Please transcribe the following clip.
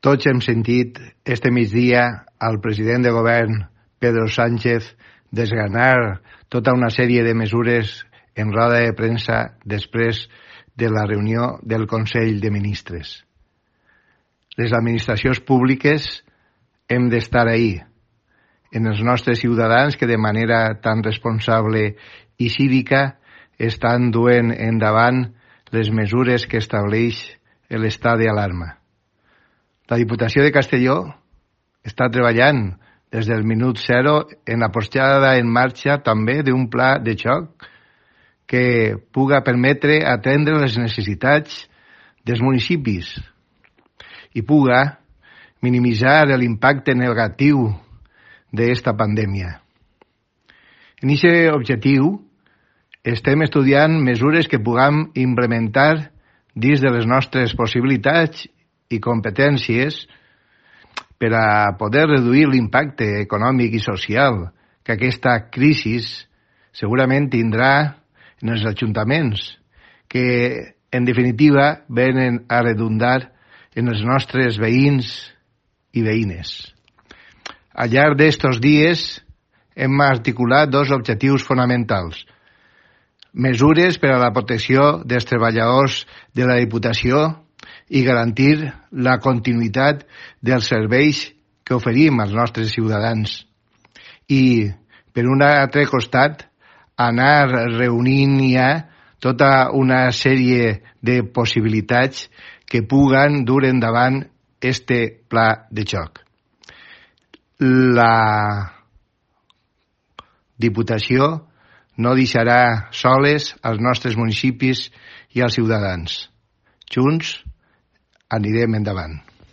Tots hem sentit este migdia al president de govern, Pedro Sánchez, desgranar tota una sèrie de mesures en roda de premsa després de la reunió del Consell de Ministres. Les administracions públiques hem d'estar ahí, en els nostres ciutadans que de manera tan responsable i cívica estan duent endavant les mesures que estableix l'estat d'alarma. La Diputació de Castelló està treballant des del minut zero en la posada en marxa també d'un pla de xoc que puga permetre atendre les necessitats dels municipis i puga minimitzar l'impacte negatiu d'esta pandèmia. En aquest objectiu estem estudiant mesures que puguem implementar dins de les nostres possibilitats i competències per a poder reduir l'impacte econòmic i social que aquesta crisi segurament tindrà en els ajuntaments, que en definitiva venen a redundar en els nostres veïns i veïnes. Al llarg d'estos dies hem articulat dos objectius fonamentals: mesures per a la protecció dels treballadors de la Diputació i garantir la continuïtat dels serveis que oferim als nostres ciutadans. I, per un altre costat, anar reunint ja tota una sèrie de possibilitats que puguen dur endavant este pla de xoc. La Diputació no deixarà soles als nostres municipis i als ciutadans. Junts anirem endavant.